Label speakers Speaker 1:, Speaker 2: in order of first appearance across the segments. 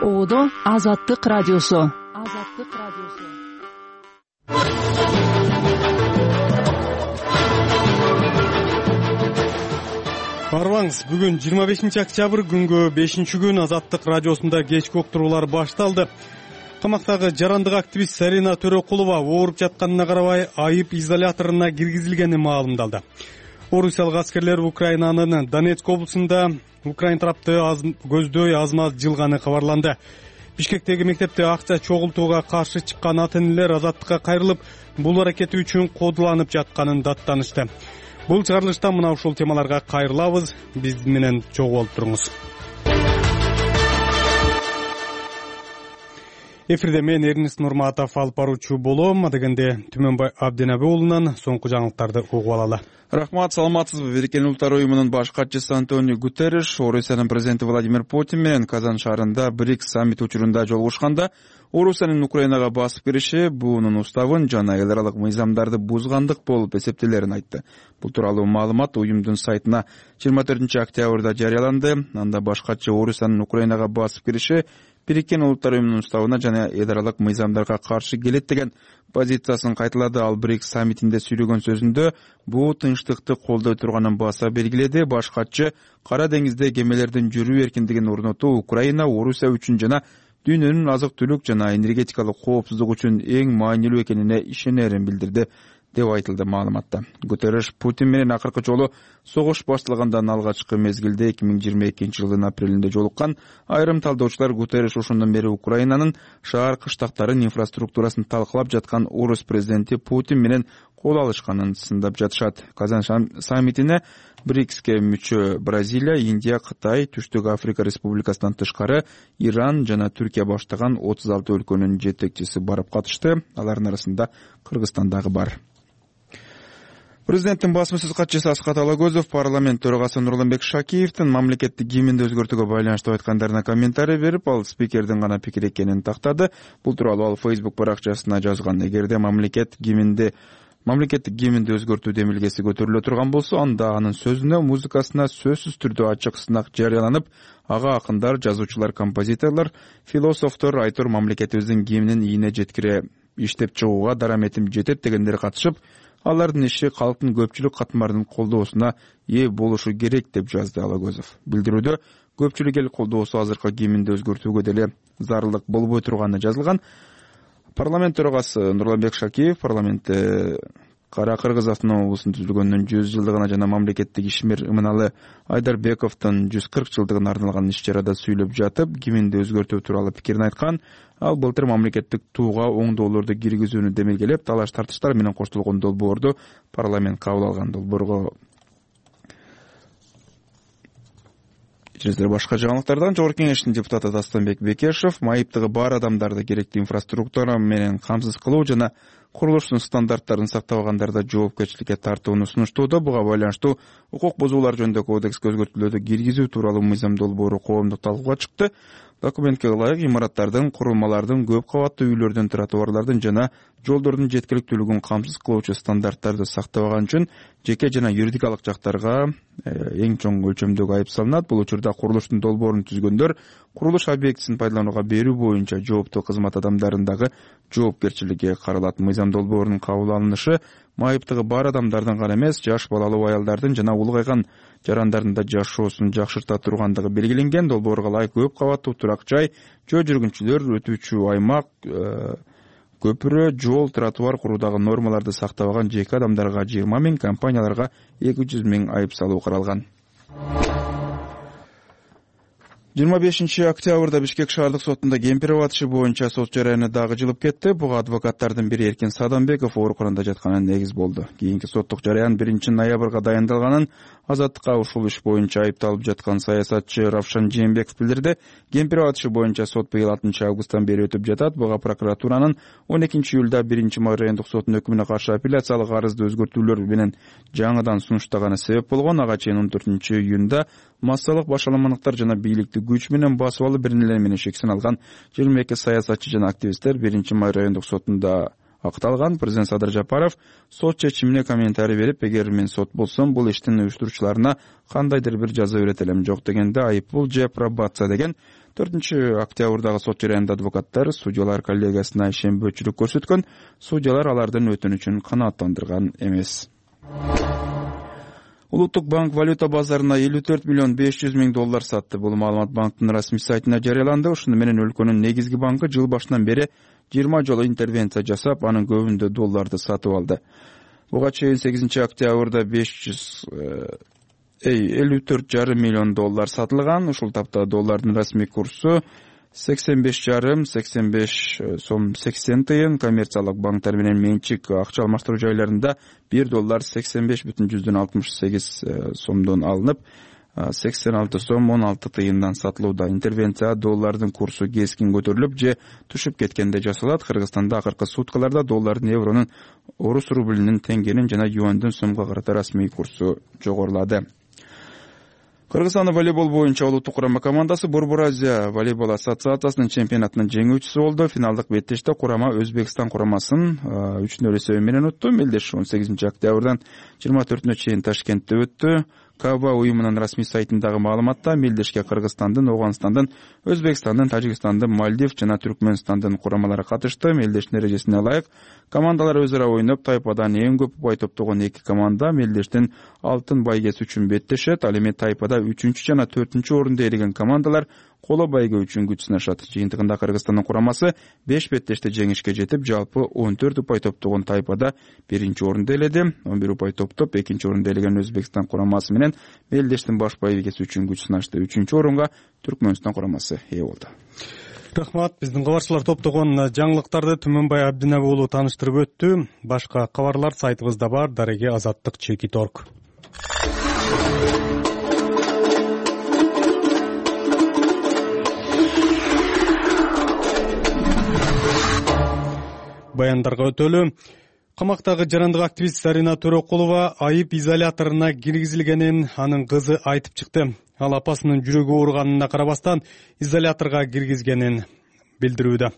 Speaker 1: Оодо Азаттык радиосу.
Speaker 2: Барбаңыз, бүгүн 25 октябрь күнгө 5-күн Азаттык радиосунда кечки уктуруулар башталды. Камактагы жарандык активист Зарина Төрөкулова ооруп жатканына карабай айып изоляторуна киргизилгени маалымдалды. Орусиялык аскерлер Украинанын Донецк облусунда Украин тарапты көздөй азмат жылганы кабарланды. Бишкектеги мектепте акча чогултууга каршы чыккан ата-энелер азаттыкка кайрылып, бул аракети үчүн кодуланып жатканын даттанышты. Бул чыгарылышта мына ушул темаларга кайрылабыз. Биз менен чогуу болуп туруңуз. Эфирде мен Эрнис Нурматов алып баруучу болом. Адегенде Түмөнбай Абдинабы уулунан соңку жаңылыктарды угуп алалы.
Speaker 3: Рахмат, саламатсызбы? Бириккен Улуттар уюмунун баш катчысы Антонио Гутерриш Орусиянын президенти Владимир Путин менен Казан шаарында БРИКС саммити учурунда жолугушканда Орусиянын Украинага басып кириши буунун уставын жана эл аралык мыйзамдарды бузгандык болуп эсептелерин айтты. Бул тууралуу маалымат уюмдун сайтына 24 октябрда жарыяланды. Анда баш катчы Орусиянын Украинага басып кириши Бириккен Улуттар уюмунун уставына жана эл аралык мыйзамдарга каршы келет деген позициясын кайталады. Ал БРИКС саммитинде сүйлөгөн сөзүндө бул тынчтыкты колдой турганын баса белгиледи. Баш катчы Кара деңизде кемелердин жүрүү эркиндигин орнотуу Украина, Орусия үчүн жана дүйнөнүн азык-түлүк жана энергетикалык коопсуздук үчүн эң маанилүү экенине ишенерин билдирди деп айтылды маалыматта. Гутерриш Путин менен акыркы жолу согуш башталгандан алгачкы мезгилде 2022 жылдын апрелинде жолуккан. Айрым талдоочулар Гутерриш ошондон бери Украинанын шаар кыштактарын инфраструктурасын талкылап жаткан орус президенти Путин менен кол алышканын сындап жатышат. Казан саммитине БРИКСке мүчө Бразилия, Индия, Кытай, Түштүк Африка Республикасынан тышкары Иран жана Түркия баштаган 36 өлкөнүн жетекчиси барып катышты. Алардын арасында Кыргызстан дагы бар. Президенттин басма сөз катчысы Аскат Алагөзов парламент төрагасы Нурланбек Шакиевдин мамлекеттик гимнди өзгөртүүгө байланыштуу айткандарына комментарий берип, ал спикердин гана пикири экенин тактады. Бул тууралуу ал Facebook баракчасына жазган. Эгерде мамлекеттик гимнди өзгөртүү демилгеси көтөрүлө турган болсо, анда анын сөзүнө, музыкасына сөзсүз түрдө ачык сынак жарыяланып, ага акындар, жазуучулар, композиторлор, философтор, айтор мамлекетибиздин гимнин ийине жеткире иштеп чыгууга дараметим жетет дегендер катышып, алардын иши калктын көпчүлүк катмарынын колдоосуна ээ болушу керек деп жазды Алагөзов. Билдирүүдө көпчүлүк эл колдоосу азыркы гимнди өзгөртүүгө деле зарылдык болбой турганы жазылган. Парламент төрагасы Нурланбек Шакиев парламентте Кара Кыргыз автономиялыгын түзүлгөнүнүн 100 жылдыгына жана мамлекеттик ишмер Иманалы Айдарбековдун 140 жылдыгына арналган иш-чарада сүйлөп жатып, гимнди өзгөртүү тууралуу пикирин айткан. Ал былтыр мамлекеттик тууга оңдоолорду киргизүүнү демилгелеп, талаш-тартыштар менен коштолгон долбоорду парламент кабыл алган. Долбоорго башка жаңылыктардан Жогорку Кеңештин депутаты Дастанбек Бекешев майыптыгы бар адамдарды керектүү инфраструктура менен камсыз кылуу жана курулуштун стандарттарын сактабагандарды жоопкерчиликке тартууну сунуштоодо. Буга байланыштуу укук бузуулар жөнүндө кодекске өзгөртүүлөрдү киргизүү тууралуу мыйзам долбоору коомдук талкууга чыкты. Документке ылайык имараттардын, курулмалардын, көп кабаттуу үйлөрдүн, тротуарлардын жана жолдордун жеткиликтүүлүгүн камсыз кылуучу стандарттарды сактабаган үчүн жеке жана юридикалык жактарга эң чоң өлчөмдөгү айып салынат. Бул учурда курулуштун долбоорун түзгөндөр курулуш объектисин пайдаланууга берүү боюнча жооптуу кызмат адамдарынын дагы жоопкерчилиги каралат. Мыйзам долбоорунун кабыл алынышы майыптыгы бар адамдардын гана эмес, жаш балалуу аялдардын жана улгайган жарандардын да жашоосун жакшырта тургандыгы белгиленген. Долбоорго ылайык көп кабаттуу турак жай, жөө жүргүнчүлөр, өтүүчү аймак, көпүрө, жол, тротуар куруудагы нормаларды сактабаган жеке адамдарга 20 000, компанияларга 200 000 айып салуу каралган. 25 октябрда Бишкек шаардык сотунда кемпиров атышы боюнча сот жараяны дагы жылып кетти. Буга адвокаттардын бири Эркин Садамбеков ооруканада жатканы негиз болду. Кийинки соттук жараян 1 ноябрга дайындалганын Азаттыкка ушул иш боюнча айыпталып жаткан саясатчы Равшан Жээнбеков билдирди. Кемпиров атышы боюнча сот быйыл 6 августтан бери өтүп жатат. Буга прокуратуранын 12 июлда 1 май райондук сотунун өкүмүнө каршы апелляциялык арызды өзгөртүүлөр менен жаңыдан сунуштаганы себеп болгон. Ага чейин 14 июнда массалык башаламандыктар жана бийликти күч менен басып алып бир нелер менен шексин алган 22 саясатчы жана активисттер 1 май райондук сотунда акталган. Президент Садыр Жапаров сот чечимине комментарий берип, эгер мен сот болсом, бул иштин уюштуруучуларына кандайдыр бир жаза берет элем, жок дегенде айыппул же пробация деген. 4-октябрдагы сот жарыянда адвокаттар судьялар коллегиясына ишенбөөчүлүк көрсөткөн. Судьялар алардын өтүнүчүн канааттандырган эмес. Улуттук банк валюта базарына 54 миллион 500 миң доллар сатты. Бул маалымат банктын расмий сайтына жарыяланды. Ошону менен өлкөнүн негизги банкы жыл башынан бери 20 жолу интервенция жасап, анын көбүндө долларды сатып алды. Буга чейин 8-октябрда 54,5 миллион доллар сатылган. Ушул тапта доллардын расмий курсу 85,85 сом 80 тыйын. Коммерциялык банктар менен менчик акча алмаштыруу жайларында 1 доллар 85,68 сомдон алынып, 86 сом 16 тыйындан сатылууда. Интервенция доллардын курсу кескин көтөрүлүп же түшүп кеткенде жасалат. Кыргызстанда акыркы суткаларда доллардын, евронун, орус рублинин, теңгенин жана юандын сомго карата расмий курсу жогорулады. Кыргызстандын волейбол боюнча улуттук курама командасы Борбор Азия волейбол ассоциациясынын чемпионатынын жеңүүчүсү болду. Финалдык беттеште курама Өзбекстан курамасын 3-0 эсеби менен утту. Мелдеш 18-октябрдан 24-нө чейин Ташкентте өттү. КАБА уюмунун расмий сайтындагы маалыматта Мелдешке Кыргызстандын, Оганстандын, Өзбекстандын, Тажикстандын, Мальдив жана Түркмөнстандын курамалары катышты. Мелдештин эрежесине ылайык командалар өзара ойноп, тайпадан эң көп упай топтогон 2 команда Мелдештин алтын байгеси үчүн беттешет. Ал эми тайпада 3-чү жана 4-чү орунду ээлеген командалар коло байге үчүн күч сынашат. Жыйынтыгында Кыргызстандын курамасы 5 беттеште жеңишке жетип, жалпы 14 упай топтогон тайпада 1-чи орунду ээледи. 11 упай топтоп 2-чи орунду ээлеген Өзбекстан курамасы менен Мелдештин баш байгеси үчүн күч сынашты. 3-чү орунга Түркмөнстан курамасы ээ болду.
Speaker 2: Рахмат. Биздин кабарчылар топтогон жаңылыктарды Түмөнбай Абдинабы уулу тааныштырып өттү. Башка кабарлар сайтыбызда бар. Дареги Азаттык.org. Баяндарга өтөлү. Камактагы жарандык активист Зарина Төрөкулова айып изоляторуна киргизилгенин анын кызы айтып чыкты. Ал апасынын жүрөгү ооруганына карабастан изоляторго киргизгенин билдирүүдө.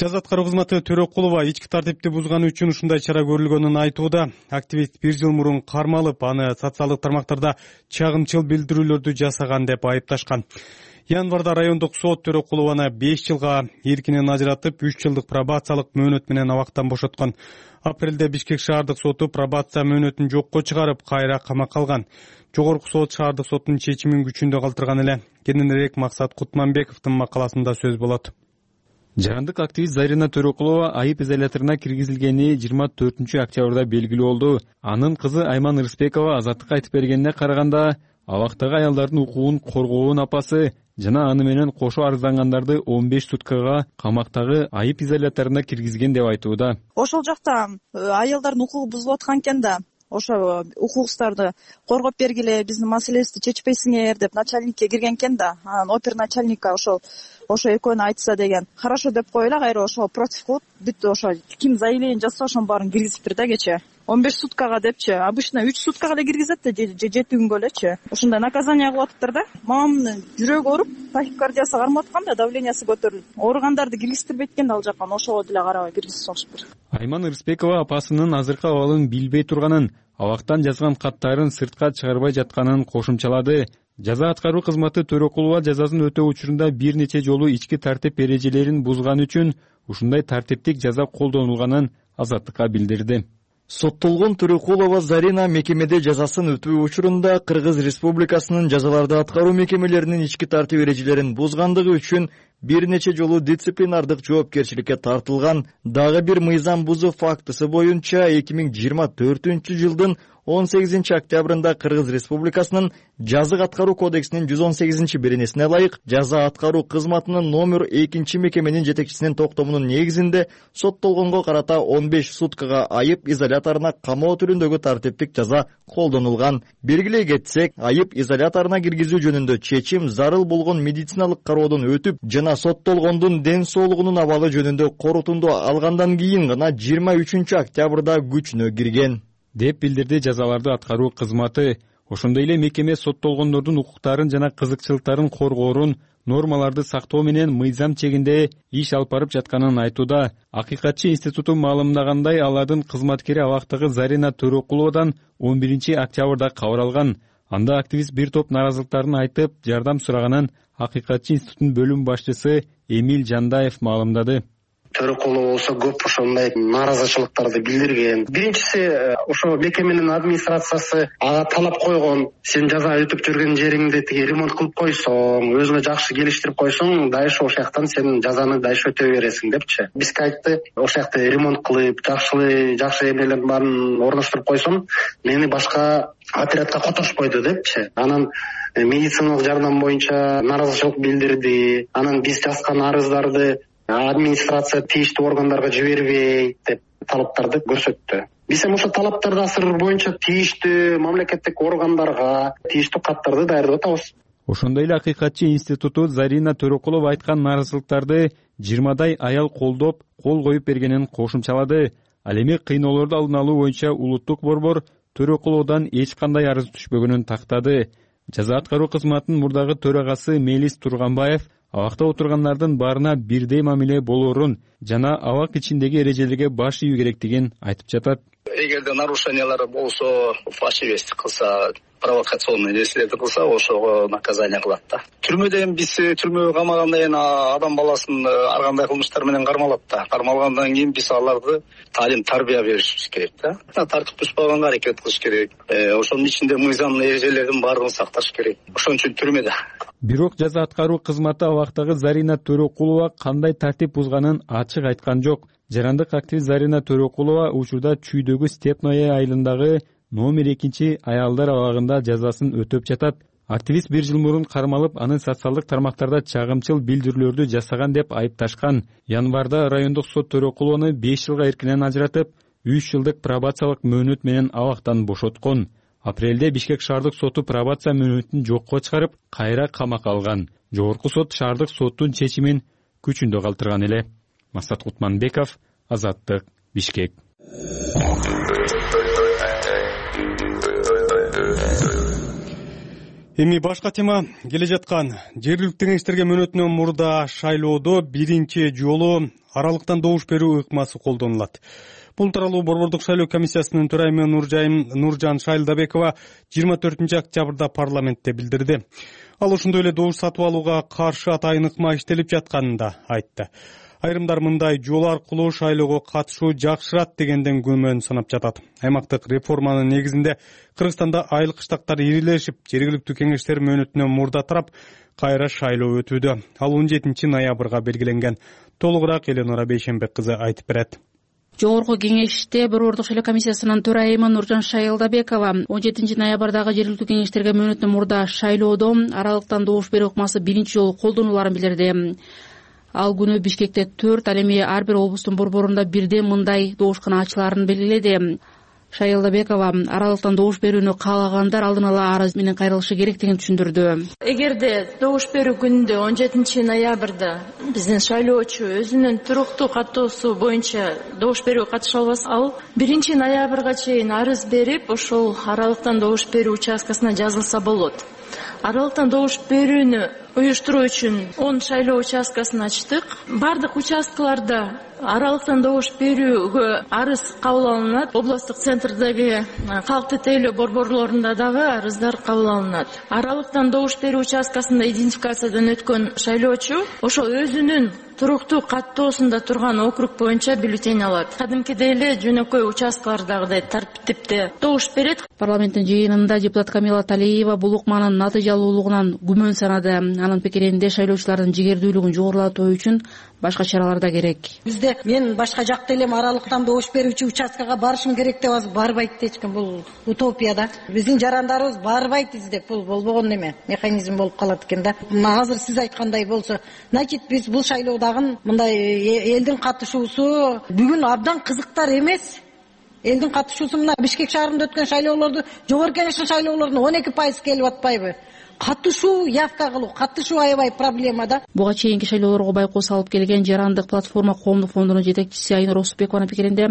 Speaker 2: Жаза аткаруу кызматы Төрөкулова ички тартипти бузганы үчүн ушундай чара көрүлгөнүн айтууда. Активист 1 жыл мурун кармалып, аны социалдык тармактарда чагымчыл билдирүүлөрдү жасаган деп айыпташкан. Январда райондук сот Төрөкулованы 5 жылга эркинен ажыратып, 3 жылдык пробациялык мөөнөт менен абактан бошоткон. Апрелде Бишкек шаардык соту пробация мөөнөтүн жокко чыгарып, кайра камакка алган. Жогорку сот шаардык соттун чечимин күчүндө калтырган эле. Кененирээк Максат Кутманбековдун макаласында сөз болот.
Speaker 4: Жарандык активист Зарина Төрөкулова айып изоляторуна киргизилгени 24-октябрда белгилүү болду. Анын кызы Айман Рыспекова Азаттыкка айтып бергенине караганда, абактагы аялдардын укугун коргоонун апасы жана аны менен кошо арыздангандарды 15 суткага камактагы айып изоляторуна киргизген деп айтууда.
Speaker 5: Ошол жакта аялдардын укугу бузулуп аткан экен да. Ошо укугуңузду коргоп бергиле, биздин маселебизди чечпейсиңер деп начальникке кирген экен да. Анан оперначальникка ошо экөөнү айтса деген. Хорошо деп койлу, кайра ошо против кылып, бүт ошо ким заявление жасса ошонун баарын киргизиптир да кече. 15 суткага депчи. Обычно 3 суткага эле киргизет да, же 7 күнгө элечи. Ошондой наказание кылып атыптыр да. Мамамдын жүрөгү ооруп, тахикардиясы кармап аткан да, давлениясы көтөрүлүп. Ооругандарды киргизтирбейт экен да ал жакка, ошого деле карабай киргизип салышыптыр.
Speaker 4: Айман Рыспекова апасынын азыркы абалын билбей турганын, абактан жазган каттарын сыртка чыгарбай жатканын кошумчалады. Жаза аткаруу кызматы Төрөкулова жазасын өтөө учурунда бир нече жолу ички тартип эрежелерин бузган үчүн ушундай тартиптик жаза колдонулганын Азаттыкка билдирди.
Speaker 6: Соттолгон Төрөкулова Зарина мекемеде жазасын өтүү учурунда Кыргыз Республикасынын жазаларды аткаруу мекемелеринин ички тартип эрежелерин бузгандыгы үчүн бир нече жолу дисциплинардык жоопкерчиликке тартылган. Дагы бир мыйзам бузуу фактысы боюнча 2024-жылдын 18-октябрында Кыргыз Республикасынын жазык аткаруу кодексинин 118-беренесине ылайык жаза аткаруу кызматынын номер 2 мекеменин жетекчисинин токтомунун негизинде соттолгонго карата 15 суткага айып изоляторуна камоо түрүндөгү тартиптик жаза колдонулган. Белгилей кетсек, айып изоляторуна киргизүү жөнүндө чечим зарыл болгон медициналык кароодон өтүп жана соттолгондун ден соолугунун абалы жөнүндө корутунду алгандан кийин гана 23-октябрда күчүнө кирген
Speaker 4: деп билдирди жазаларды аткаруу кызматы. Ошондой эле мекеме соттолгондордун укуктарын жана кызыкчылыктарын коргоорун, нормаларды сактоо менен мыйзам чегинде иш алып барып жатканын айтууда. Акыйкатчы институту маалымдагандай, алардын кызматкери абактагы Зарина Төрөкуловадан 11-октябрда кабар алган. Анда активист бир топ нааразылыктарын айтып, жардам сураганын Акыйкатчы институтунун бөлүм башчысы Эмиль Жандаев маалымдады.
Speaker 7: Төрөкулова болсо көп ошондой нааразычылыктарды билдирген. Биринчиси, ошо мекеменин администрациясы ага талап койгон: сен жаза өтүп жүргөн жериңди тиги ремонт кылып койсоң, өзүңө жакшы келиштирип койсоң, дайыш ошол жактан сен жазаны дайыш өтө бересиң депчи. Бизге айтты, ошол жакта ремонт кылып, жакшы эмелердин баарын орноштуруп койсом, мени башка отрядка которушпойду депчи. Анан медициналык жардам боюнча нааразычылык билдирди. Анан биз жазган арыздарды администрация тийиштүү органдарга жибербей деп талаптарды көрсөттү. Биз эми ошо талаптарды асырыр боюнча тийиштүү мамлекеттик органдарга тийиштүү каттарды даярдап атабыз.
Speaker 4: Ошондой эле Акыйкатчы институту Зарина Төрөкулова айткан нааразылыктарды 20дай аял колдоп, кол коюп бергенин кошумчалады. Ал эми кыйноолорду алдын алуу боюнча улуттук борбор Төрөкуловадан эч кандай арыз түшпөгөнүн тактады. Жаза аткаруу кызматынын мурдагы төрагасы Мелис Турганбаев абакта отургандардын баарына бирдей мамиле болоорун жана абак ичиндеги эрежелерге баш ийүү керектигин айтып жатат.
Speaker 8: Эгерде нарушениялар болсо, фальшивость кылса, провокационный нерселерди кылса, ошого наказание кылат да. Түрмөдө эми биз түрмөгө камагандан кийин адам баласын ар кандай кылмыштар менен кармалат да. Кармалгандан кийин биз аларды талим тарбия беришибиз керек да. Тартип бузбаганга аракет кылыш керек. Ошонун ичинде мыйзам эрежелерин баардыгын сакташ керек. Ошон үчүн түрмөдө.
Speaker 4: Бирок жаза аткаруу кызматы абактагы Зарина Төрөкулова кандай тартип бузганын ачык айткан жок. Жарандык активист Зарина Төрөкулова учурда Чүйдөгү Степное айылындагы номер 2 аялдар абагында жазасын өтөп жатат. Активист 1 жыл мурун кармалып, аны социалдык тармактарда чагымчыл билдирүүлөрдү жасаган деп айыпташкан. Январда райондук сот Төрөкулованы 5 жылга эркинен ажыратып, 3 жылдык пробациялык мөөнөт менен абактан бошоткон. Апрелде Бишкек шаардык соту пробация мөөнөтүн жокко чыгарып, кайра камакка алган. Жогорку сот шаардык соттун чечимин күчүндө калтырган эле. Масат Кутманбеков, Азаттык, Бишкек.
Speaker 2: Эми башка тема. Келе жаткан жергиликтүү кеңештерге мөөнөтүнөн мурда шайлоодо биринчи жолу аралыктан добуш берүү ыкмасы колдонулат. Бул тууралуу Борбордук шайлоо комиссиясынын төрайымы Нуржан Шайлдабекова 24-октябрда парламентте билдирди. Ал ошондой эле добуш сатып алууга каршы атайын ыкма иштелип жатканын да айтты. Айрымдар мындай жол аркылуу шайлоого катышуу жакшырат дегенден күмөн санап жатат. Аймактык реформанын негизинде Кыргызстанда айыл кыштактар ирилешип, жергиликтүү кеңештер мөөнөтүнөн мурда тарап, кайра шайлоо өтүүдө. Ал 17 ноябрга белгиленген. Толугураак Эленора Бейшенбек кызы айтып берет.
Speaker 9: Жогорку кеңеште Борбордук шайлоо комиссиясынын төрайымы Нуржан Шайлдабекова 17 ноябрдагы жергиликтүү кеңештерге мөөнөтүнөн мурда шайлоодо аралыктан добуш берүү ыкмасы биринчи жолу колдонуларын билдирди. Ал күнү Бишкекте 4, ал эми ар бир облустун борборунда бирден мындай добушкана ачылаарын белгиледи. Шайлдабекова аралыктан добуш берүүнү каалагандар алдын ала арыз менен кайрылышы керектигин түшүндүрдү.
Speaker 10: Эгерде добуш берүү күнүндө 17 ноябрда биздин шайлоочу өзүнүн туруктуу каттоосу боюнча добуш берүүгө катыша албаса, ал 1 ноябрга чейин арыз берип, ошол аралыктан добуш берүү участкасына жазылса болот. Аралыктан добуш берүүнү уюштуруу үчүн 10 шайлоо участкасын ачтык. Бардык участкаларда аралыктан добуш берүүгө арыз кабыл алынат. Областтык центрдеги калкты тейлөө борборлорунда дагы арыздар кабыл алынат. Аралыктан добуш берүү участкасында идентификациядан өткөн шайлоочу ошол өзүнүн туруктуу каттоосунда турган округ боюнча бюллетень алат. Кадимкидей эле жөнөкөй участкалардагыдай тартипте добуш берет.
Speaker 9: Парламенттин жыйынында депутат Камила Талиева бул ыкманын натыйжалуулугунан күмөн санады. Анын пикиринде шайлоочулардын жигердүүлүгүн жогорулатуу үчүн башка чаралар да керек.
Speaker 11: Бизде мен башка жакта элем аралыктан добуш берүүчү участкага барышым керек деп азыр барбайт эчким. Бул утопия да. Биздин жарандарыбыз барбайт издеп, бул болбогон неме, механизм болуп калат экен да. Азыр сиз айткандай болсо, значит биз бул шайлоодагы мындай элдин катышуусу бүгүн абдан кызыктар эмес. Элдин катышуусу мына Бишкек шаарында өткөн шайлоолорду, жогорку кеңештин шайлоолорунун 12% келип атпайбы? катышуу, явка кылуу, катышуу аябай проблема да.
Speaker 9: Буга чейинки шайлоолорго байкоос алып келген жарандык платформа коомдук фондунун жетекчиси Айнур Осупбекованын пикиринде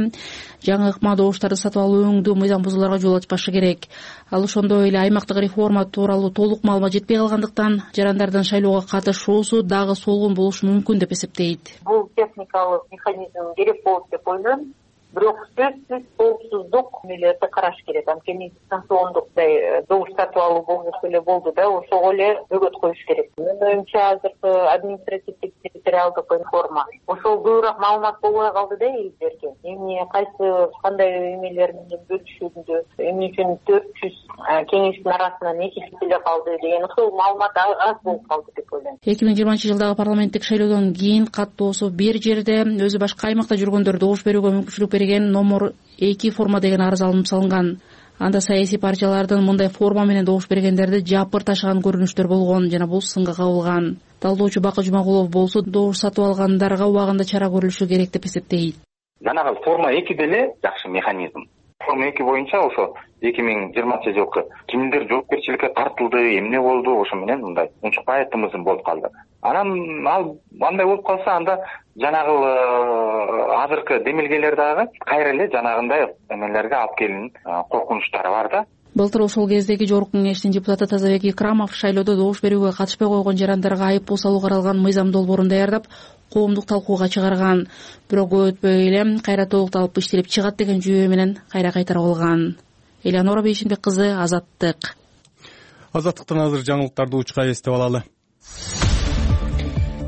Speaker 9: жаңы ыкма добуштарды сатып алуу өңдүү мыйзам бузууларга жол ачпашы керек. Ал ошондой эле аймактык реформа тууралуу толук маалымат жетпей калгандыктан жарандардын шайлоого катышуусу дагы солгун болушу мүмкүн деп эсептейт.
Speaker 12: Бул техникалык механизм керек болот деп ойлойм. Бирок сөзсүз коопсуздук мелерди караш керек. Анткени дистанциондуктай добуш сатып алуу болуп эле болду да, ошого эле бөгөт коюш керек. Менин оюмча азыркы административдик территориалдык реформа ошол көбүрөөк маалымат болбой калды да элдерге. Эмне кайсы кандай эмелер менен бөлүшүлдү, эмне үчүн 400 кеңештин арасынан 2 киши эле калды деген ошол маалымат аз болуп калды деп ойлойм.
Speaker 9: 2020-жылдагы парламенттик шайлоодон кийин каттоосу бир жерде өзү башка аймакта жүргөндөр добуш берүүгө мүмкүнчүлүк берген номер 2 форма деген арыз алынып салынган. Анда саясий партиялардын мындай форма менен добуш бергендерди жапыр ташыган көрүнүштөр болгон жана бул сынга кабылган. Талдоочу Бакы Жумагулов болсо добуш сатып алгандарга убагында чара көрүлүшү керек деп эсептейт.
Speaker 13: Жанагы форма 2 деле жакшы механизм. Форма 2 боюнча ошо 2020-жылкы кимдер жоопкерчиликке тартылды, эмне болду, ошо менен мындай унчукпай тымызым болуп калды. Анан ал андай болуп калса, анда жанагы азыркы демилгелер дагы кайра эле жанагындай эмелерге алып келин коркунучтары бар да.
Speaker 9: Былтыр ошол кездеги Жогорку Кеңештин депутаты Тазабек Икрамов шайлоодо добуш берүүгө катышпай койгон жарандарга айыппул салуу каралган мыйзам долбоорун даярдап, коомдук талкууга чыгарган. Бирок өтпөй эле кайра толукталып иштелип чыгат деген жүйө менен кайра кайтарып алган. Элеонора Бейшенбек кызы, Азаттык.
Speaker 2: Азаттыктан азыр жаңылыктарды учка эстеп алалы.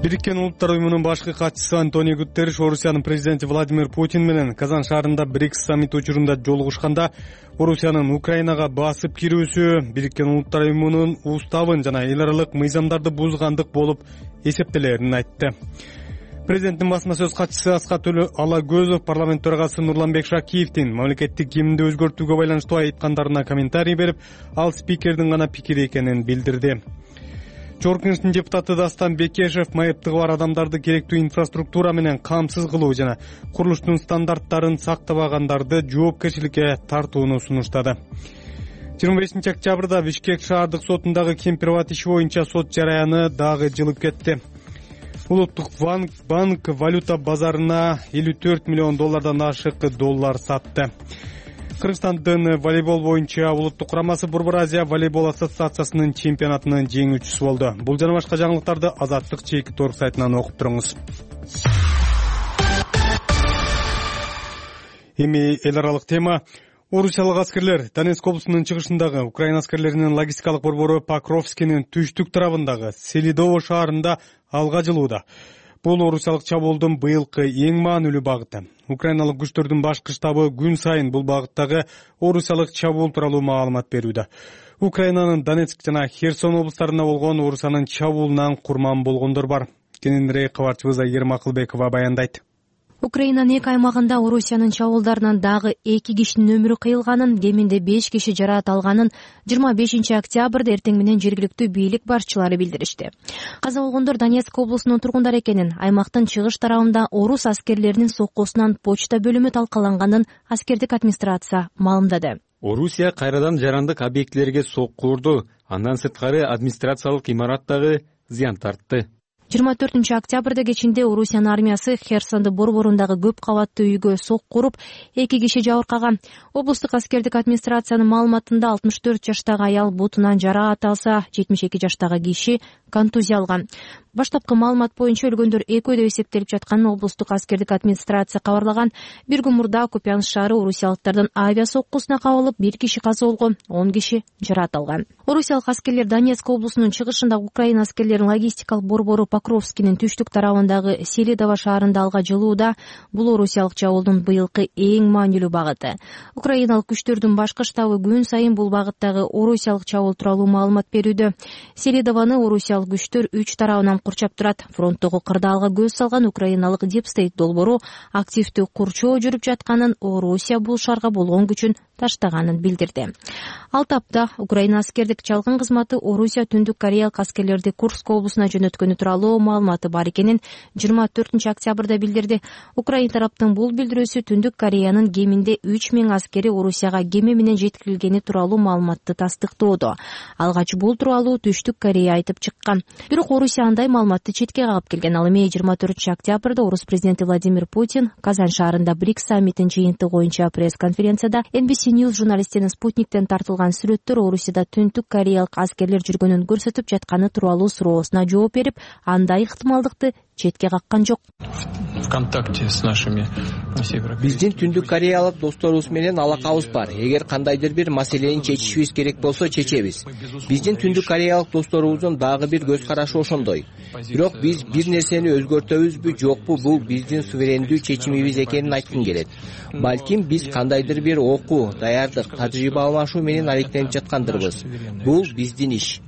Speaker 2: Бириккен Улуттар уюмунун башкы катчысы Антонио Гутерриш Орусиянын президенти Владимир Путин менен Казан шаарында БРИКС саммити учурунда жолугушканда Орусиянын Украинага басып кирүүсү Бириккен Улуттар уюмунун уставын жана эл аралык мыйзамдарды бузгандык болуп эсептелерин айтты. Президенттин басма сөз катчысы Аскат Алагөзов парламент төрагасы Нурланбек Шакиевдин мамлекеттик гимнди өзгөртүүгө байланыштуу айткандарына комментарий берип, ал спикердин гана пикири экенин билдирди. Жогорку Кеңештин депутаты Дастан Бекешев майыптыгы бар адамдарды керектүү инфраструктура менен камсыз кылуу жана курулуштун стандарттарын сактабагандарды жоопкерчиликке тартууну сунуштады. 25-октябрда Бишкек шаардык сотундагы кем-приват иши боюнча сот жараяны дагы жылып кетти. Улуттук банк валюта базарына 54 миллион доллардан ашык доллар сатты. Кыргызстандын волейбол боюнча улуттук курамасы Борбор Азия волейбол ассоциациясынын чемпионатынын жеңүүчүсү болду. Бул жана башка жаңылыктарды Азаттык чейки торг сайтынан окуп туруңуз. Эми эл аралык тема. Орусиялык аскерлер Донецк облусунун чыгышындагы Украина аскерлеринин логистикалык борбору Покровскинин түштүк тарабындагы Селидово шаарында алга жылууда. Бул орусиялык чабуулдун быйылкы эң маанилүү багыты. Украиналык күчтөрдүн башкы штабы күн сайын бул багыттагы орусиялык чабуул тууралуу маалымат берүүдө. Украинанын Донецк жана Херсон облустарында болгон Орусиянын чабуулунан курман болгондор бар. Кененирээк кабарчыбыз Айгерим Акылбекова баяндайт.
Speaker 14: Украинанын эки аймагында Орусиянын чабуулдарынан дагы 2 кишинин өмүрү кыйылганын, кеминде 5 киши жараат алганын 25-октябрда эртең менен жергиликтүү бийлик башчылары билдиришти. Каза болгондор Донецк облусунун тургундары экенин, аймактын чыгыш тарабында орус аскерлеринин соккусунан почта бөлүмү талкаланганын аскердик администрация маалымдады.
Speaker 4: Орусия кайрадан жарандык объектилерге сокку урду, андан сырткары администрациялык имараттагы зыян тартты.
Speaker 14: 24-октябрда кечинде Орусиянын армиясы Херсонду борборундагы көп кабаттуу үйгө сокку уруп, 2 киши жабыркаган. Облустук аскердик администрациянын маалыматында 64 жаштагы аял бутунан жараат алса, 72 жаштагы киши контузия алган. Баштапкы маалымат боюнча өлгөндөр экөө деп эсептелип жатканын облустук аскердик администрация кабарлаган. Bir күн мурда Купянск шаары орусиялыктардын авиа соккусуна кабылып, 1 киши каза болгон, 10 киши жараат алган. Орусиялык аскерлер Донецк облусунун чыгышындагы Украина аскерлеринин логистикалык борбору Покровскинин түштүк тарабындагы Селидово шаарында алга жылууда. Бул орусиялык чабуулдун быйылкы эң маанилүү багыты. Украиналык күчтөрдүн башкы штабы күн сайын бул багыттагы орусиялык чабуул тууралуу маалымат берүүдө. Селидовону орусиялык күчтөр 3 тарабынан курчап турат. Фронттогу кырдаалга көз салган украиналык Deep State долбоору активдүү курчоо жүрүп жатканын, Орусия бул шаарга болгон күчүн таштаганын билдирди. Ал тапта Украина аскердик чалгын кызматы Орусия Түндүк Кореялык аскерлерди Курск облусуна жөнөткөнү тууралуу тууралуу маалыматы бар экенин 24-октябрда билдирди. Украина тараптын бул билдирүүсү Түндүк Кореянын кеминде 3000 аскери Орусияга кеме менен жеткирилгени тууралуу маалыматты тастыктоодо. Алгач бул тууралуу Түштүк Корея айтып чыккан. Бирок Орусия андай маалыматты четке кагып келген. Ал эми 24-октябрда Орус президенти Владимир Путин Казан шаарында БРИКС саммитин жыйынтыгы боюнча пресс-конференцияда NBC News журналисттерин Спутниктен тартылган сүрөттөр Орусияда Түндүк Кореялык аскерлер жүргөнүн көрсөтүп жатканы тууралуу суроосуна жооп берип, андай ыктымалдыкты четке каккан жок.
Speaker 15: Биздин Түндүк Кореялык досторубуз менен алакабыз бар. Эгер кандайдыр бир маселени чечишибиз керек болсо чечебиз. Биздин Түндүк Кореялык досторубуздун дагы бир көз карашы ошондой. Бирок биз бир нерсени өзгөртөбүзбү, жокпу, бул биздин суверендүү чечимибиз экенин айткым келет. Балким биз кандайдыр бир окуу, даярдык, тажрыйба алмашуу менен алектенип жаткандырбыз. Бул биздин иш.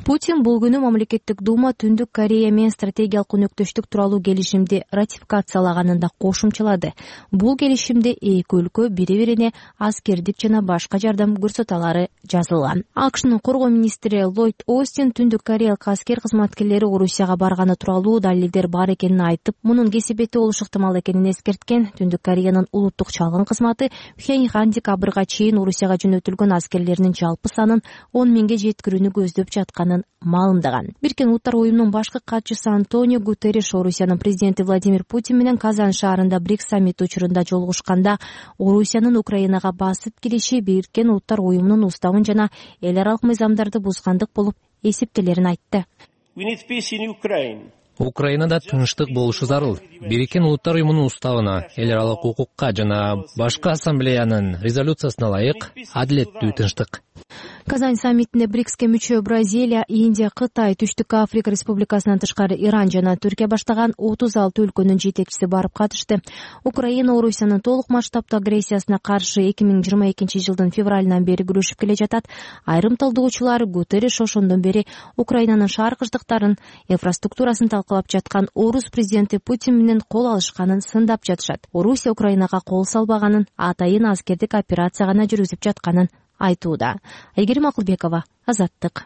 Speaker 14: Путин бул күнү мамлекеттик дума Түндүк Корея менен стратегиялык өнөктөштүк тууралуу келишимди ратификациялаганын да кошумчалады. Бул келишимде эки өлкө бири-бирине аскердик жана башка жардам көрсөтө алары жазылган. АКШнын коргоо министри Ллойд Остин Түндүк Кореялык аскер кызматкерлери Орусияга барганы тууралуу далилдер бар экенин айтып, мунун кесепети болушу ыктымал экенин эскерткен. Түндүк Кореянын улуттук чалгын кызматы Пхеньян декабрга чейин Орусияга жөнөтүлгөн аскерлеринин жалпы санын 10 миңге жеткирүүнү көздөп жатканын маалымдаган. Бириккен Улуттар уюмунун башкы катчысы Антонио Гутерриш Орусиянын президенти Владимир Путин менен Казан шаарында БРИКС саммити учурунда жолугушканда Орусиянын Украинага басып кириши Бириккен Улуттар уюмунун уставын жана эл аралык мыйзамдарды бузгандык болуп эсептелерин айтты.
Speaker 16: Украинада тынчтык болушу зарыл. Бириккен Улуттар уюмунун уставына, эл аралык укукка жана башкы ассамблеянын резолюциясына ылайык адилеттүү тынчтык.
Speaker 14: Казан саммитине БРИКСке мүчө Бразилия, Индия, Кытай, Түштүк Африка Республикасынан тышкары Иран жана Түркия баштаган 36 өлкөнүн жетекчиси барып катышты. Украина Орусиянын толук масштабтуу агрессиясына каршы 2022 жылдын февралынан бери күрөшүп келе жатат. Айрым талдоочулар Гутерриш ошондон бери Украинанын шааркычтыктарын, инфраструктурасын талкалап жаткан Орус президенти Путин менен кол алышканын сындап жатышат. Орусия Украинага кол салбаганын, атайын аскердик операция гана жүргүзүп жатканын айтууда. Айгерим Акылбекова, Азаттык.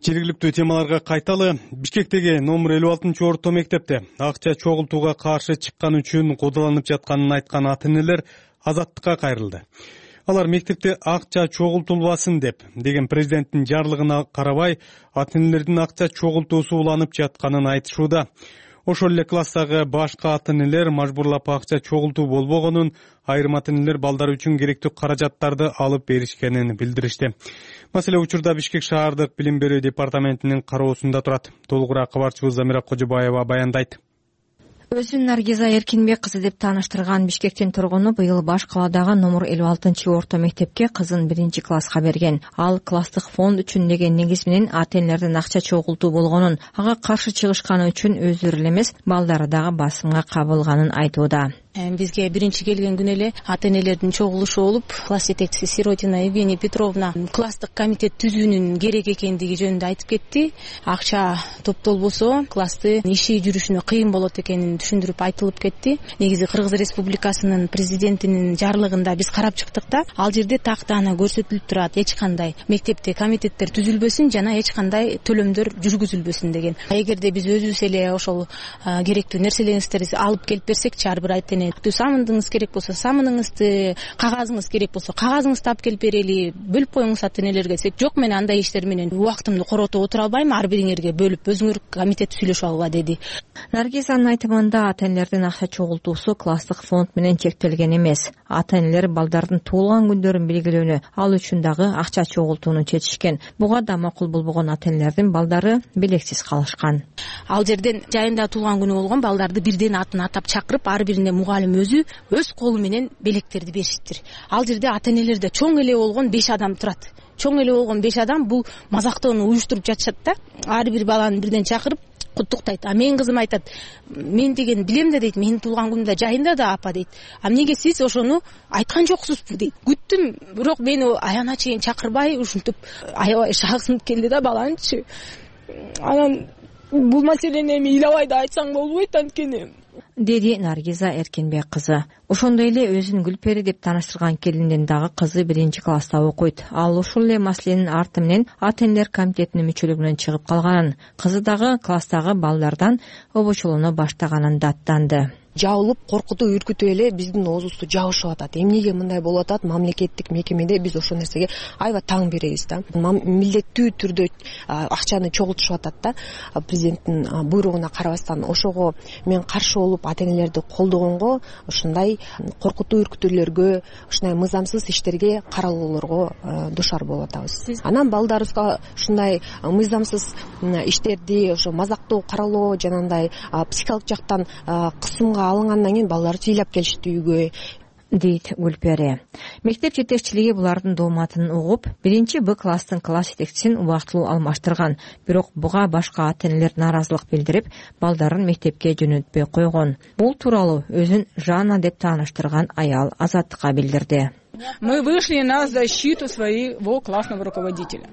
Speaker 2: Жергиликтүү темаларга кайталы. Бишкектеги номер 56-орто мектепте акча чогултууга каршы чыккан үчүн куудаланып жатканын айткан ата-энелер Азаттыкка кайрылды. Алар мектепте акча чогултулбасын деген президенттин жарлыгына карабай, ата-энелердин акча чогултуусу уланып жатканын айтышууда. Ошол эле класстагы башка ата-энелер мажбурлап акча чогултуу болбогонун, айрым ата-энелер балдар үчүн керектүү каражаттарды алып беришкенин билдиришти. Маселе учурда Бишкек шаардык билим берүү департаментинин кароосунда турат. Толугураак кабарчыбыз Замира Кожобаева баяндайт.
Speaker 17: Өзүн Наргиза Эркинбек кызы деп тааныштырган Бишкектин тургуну быйыл баш каладагы номер 56-орто мектепке кызын 1-класска берген. Ал класстык фонд үчүн деген негиз менен ата-энелердин акча чогултуу болгонун, ага каршы чыгышканы үчүн өздөрү эле эмес, балдары дагы басымга кабылганын айтууда.
Speaker 18: Бизге биринчи келген күнү эле ата-энелердин чогулушу болуп, класс жетекчиси Сиротина Евгения Петровна класстык комитет түзүүнүн керек экендиги жөнүндө айтып кетти. Акча топтолбосо класстын иши жүрүшүнө кыйын болот экенин түшүндүрүп айтылып кетти. Негизи Кыргыз Республикасынын президентинин жарлыгында биз карап чыктык да, ал жерде тактаана көрсөтүлүп турат, эч кандай мектепте комитеттер түзүлбөсүн жана эч кандай төлөмдөр жүргүзүлбөсүн деген. Эгерде биз өзүбүз эле ошол керектүү нерселериңизди алып келип берсек, ар бир ата-эне самыныңыз керек болсо самыныңызды, кагазыңыз керек болсо кагазыңызды алып келип берели, бөлүп коюңуз ата-энелерге десек, жок, мен андай иштер менен убактымды коротуп отура албайм, ар бириңерге бөлүп өзүңөр комитет сүйлөшүп алгыла деди.
Speaker 17: Наргизанын айтымында ата-энелердин акча чогултуусу класстык фонд менен чектелген эмес. Ата-энелер балдардын туулган күндөрүн белгилөөнү, ал үчүн дагы акча чогултууну чечишкен. Буга да макул болбогон ата-энелердин балдары белексиз калышкан.
Speaker 18: Ал жерден жайында туулган күнү болгон балдарды бирден атын атап чакырып, ар бирине мугалим өзү өз колу менен белектерди беришиптир. Ал жерде ата-энелерде чоң эле болгон 5 адам турат. Чоң эле болгон 5 адам бул мазактоону уюштуруп жатышат да. Ар бир баланы бирден чакырып куттуктайт. А менин кызым айтат, мен деген билем да дейт, менин туулган күнүмдө жайында да апа дейт. А эмнеге сиз ошону айткан жоксузбу дейт. Күттүм, бирок мени аягына чейин чакырбай ушинтип аябай шагынып келди да баланычы. Анан бул маселени эми ыйлабай да айтсаң болбойт, анткени
Speaker 17: деди Наргиза Эркинбек кызы. Ошондой эле өзүн Гүлпери деп тааныштырган келиндин дагы кызы 1-класста окуйт. Ал ушул эле маселенин арты менен ата энелер комитетинин мүчөлүгүнөн чыгып калганын, кызы дагы класстагы балдардан обочолоно баштаганын даттанды.
Speaker 19: Жабылып, коркутуп, үркүтүп эле биздин оозубузду жабышып атат. Эмнеге мындай болуп атат? Мамлекеттик мекемеде биз ошол нерсеге аябай таң беребиз да. Милдеттүү түрдө акчаны чогултушуп атат да. Президенттин буйругуна карабастан ошого мен каршы болуп ата энелерди колдогонго, ушундай коркутуу үркүтүүлөргө, ушундай мыйзамсыз иштерге каралууларга душар болуп атабыз. Анан балдарыбызга ушундай мыйзамсыз иштерди, ошо мазактоо каралоо, жанагындай психикалык жактан кысымга алынгандан кийин балдар ыйлап келишти үйгө, дейт Гүлпери. Мектеп жетекчилиги булардын дооматын угуп, 1-Б класстын класс жетекчисин убактылуу алмаштырган. Бирок буга башка ата энелер нааразылык билдирип, балдарын мектепке жөнөтпөй койгон. Бул тууралуу өзүн Жанна деп тааныштырган аял Азаттыкка билдирди.
Speaker 20: Мы вышли на защиту своего классного руководителя.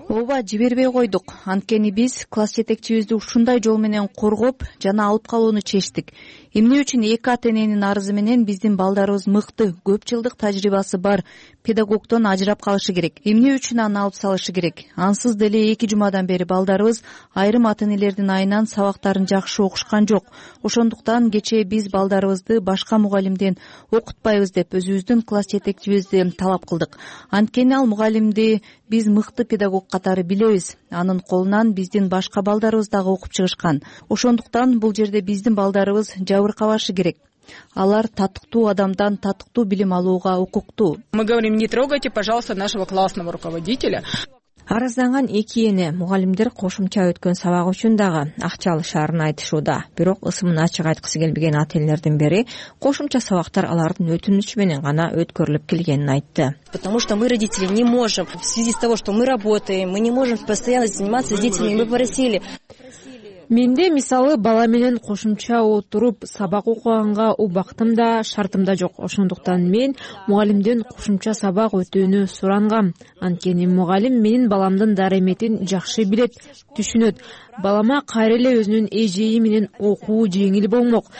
Speaker 21: Ооба, жибербей койдук. Анткени биз класс жетекчибизди ушундай жол менен коргоп жана алып калууну чечтик. Эмне үчүн эки ата эненин арызы менен биздин балдарыбыз мыкты, көп жылдык тажрыйбасы бар педагогдон ажырап калышы керек. Эмне үчүн аны алып салышы керек? Ансыз деле 2 жумадан бери балдарыбыз айрым ата энелердин айынан сабактарын жакшы окушкан жок. Ошондуктан кечээ биз балдарыбызды башка мугалимден окутпайбыз деп өзүбүздүн класс жетекчибизди талап кылдык. Анткени ал мугалимди биз мыкты педагог катары билебиз. Анын колунан биздин башка балдарыбыз дагы окуп чыгышкан. Ошондуктан бул жерде биздин балдарыбыз жабыркабашы керек. Алар татыктуу адамдан татыктуу билим алууга укуктуу.
Speaker 20: Мы говорим, не трогайте, пожалуйста, нашего классного руководителя.
Speaker 17: Арызданган эки эне мугалимдер кошумча өткөн сабак үчүн дагы акча алышаарын айтышууда. Бирок ысымын ачык айткысы келбеген ата энелердин бири кошумча сабактар алардын өтүнүчү менен гана өткөрүлүп келгенин айтты.
Speaker 22: Потому что мы, родители, не можем, в связи с того, что мы работаем, мы не можем постоянно заниматься с детьми. Мы попросили.
Speaker 21: Менде мисалы бала менен кошумча отуруп сабак окуганга убактым да, шартым да жок. Ошондуктан мен мугалимден кошумча сабак өтүүнү сурангам. Анткени мугалим менин баламдын дареметин жакшы билет, түшүнөт. Балама кайра эле өзүнүн эжеи менен окуу жеңил болмок.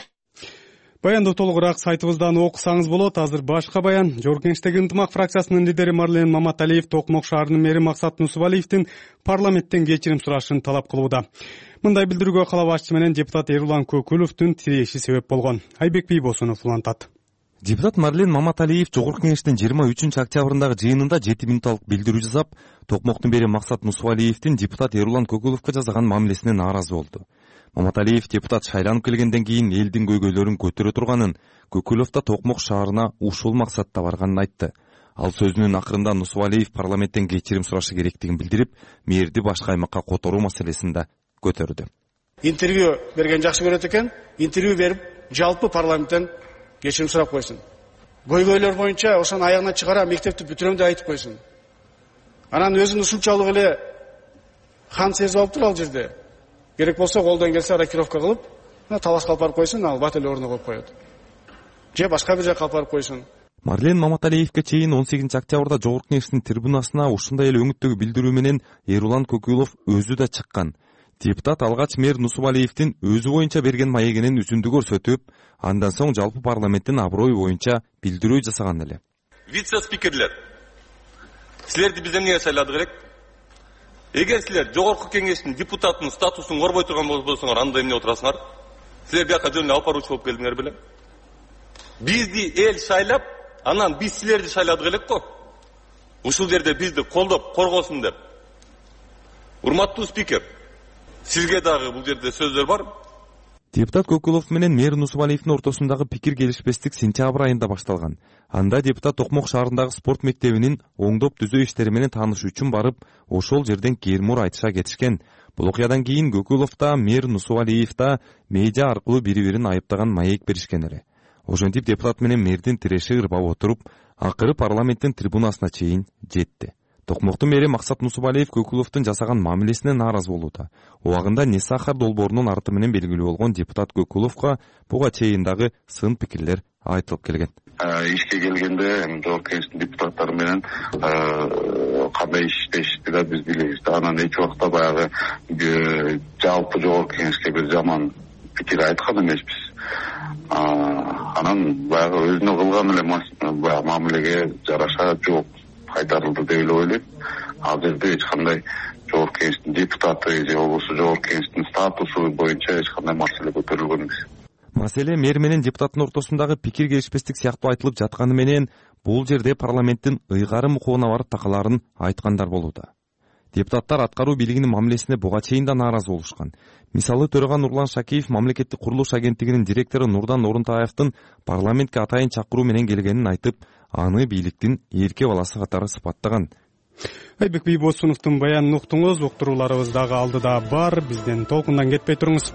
Speaker 2: Баянды толугураак сайтыбыздан окусаңыз болот. Азыр башка баян. Жогорку Кеңештеги ынтымак фракциясынын лидери Марлен Маматалиев Токмок шаарынын мэри Максат Нусубалиевдин парламенттен кечирим сурашын талап кылууда. Мындай билдирүүгө кала башчысы менен депутат Эрулан Көкүловдун тиреши себеп болгон. Айбек Бийбосунов улантат.
Speaker 23: Депутат Марлен Маматалиев Жогорку Кеңештин 23-октябрындагы жыйынында 7 мүнөттүк билдирүү жасап, Токмоктун мэри Максат Нусубалиевдин депутат Эрулан Көкүловго жасаган мамилесине нааразы болду. Маматалиев депутат шайланып келгенден кийин элдин көйгөйлөрүн көтөрө турганын, Көкүлов да Токмок шаарына ушул максатта барганын айтты. Ал сөзүнүн акырында Нусубалиев парламенттен кечирим сурашы керектигин билдирип, мэрди башка аймакка которуу маселесин да көтөрдү.
Speaker 24: Интервью берген жакшы көрөт экен, интервью берип, жалпы парламенттен кечирим сурап койсун. Көйгөйлөр боюнча ошонун аягына чыгара мектепти бүтүрөм деп айтып койсун. Анан өзүн ушунчалык эле хан сезип алыптыр ал жерде. Керек болсо колдон келсе рокировка кылып, талашка алып барып койсун, ал бат эле ордуна коюп коет. Же башка бир жакка алып барып койсун.
Speaker 23: Марлен Маматалиевге чейин 18-октябрда Жогорку Кеңештин трибунасына ушундай эле өңүттөгү билдирүү менен Эрулан Көкүлов өзү да чыккан. Депутат алгач мэр Нусубалиевдин өзү боюнча берген маегинин үзүндү көрсөтүп, андан соң жалпы парламенттин аброю боюнча билдирүү жасаган эле.
Speaker 25: Вице-спикерлер, силерди биз эмнеге шайладык элек? Эгер силер Жогорку Кеңештин депутатынын статусун корбой турган болсоңор, анда эмне отурасыңар? Силер бияка жөн эле алып баруучу болуп келдиңер беле? Бизди эл шайлап, анан биз силерди шайладык элек го. Ушул жерде бизди колдоп, коргосун деп. Урматтуу спикер, сизге дагы бул жерде сөздөр бар.
Speaker 23: Депутат Көкүлов менен мэр Нусубалиевдин ортосундагы пикир келишпестик сентябрь айында башталган. Анда депутат Токмок шаарындагы спорт мектебинин оңдоп түзөө иштери менен таанышуу үчүн барып, ошол жерден кээрмур айтыша кетишкен. Бул окуядан кийин Көкүлов да, мэр Нусубалиев да медиа аркылуу бири-бирин айыптаган маек беришкен эле. Ошентип депутат менен мэрдин тиреши ырбап отуруп, акыры парламенттин трибунасына чейин жетти. Токмоктун мэри Максат Нусубалиев Көкүловдун жасаган мамилесине нааразы болууда. Убагында Несахар долбоорунун арты менен белгилүү болгон депутат Көкүловго буга чейин дагы сын пикирлер айтылып келген.
Speaker 26: Ишке келгенде Жогорку Кеңештин депутаттары менен кандай иштешти да биз билебиз. Анан эч убакта баягы жалпы Жогорку Кеңешке бир жаман пикир айткан эмеспиз. анан баягы өзүнө кылган эле баягы мамилеге жараша жооп кайтарылды деп эле ойлойм. Ал жерде эч кандай жогорку кеңештин депутаты же болбосо жогорку кеңештин статусу боюнча эч кандай маселе көтөрүлгөн эмес.
Speaker 23: Маселе мэр менен депутаттын ортосундагы пикир келишпестик сыяктуу айтылып жатканы менен бул жерде парламенттин ыйгары мукубуна барып такалаарын айткандар болууда. Депутаттар аткаруу бийлигинин мамилесине буга чейин да нааразы болушкан. Мисалы төрага Нурлан Шакиев мамлекеттик курулуш агенттигинин директору Нурдан Орунтаевдин парламентке атайын чакыруу менен келгенин айтып, аны бийликтин эрке баласы катары сыпаттаган.
Speaker 2: Айбек Бийбосуновдун баянын уктуңуз. Уктурууларыбыз дагы алдыда бар. Бизден толкундан кетпей туруңуз.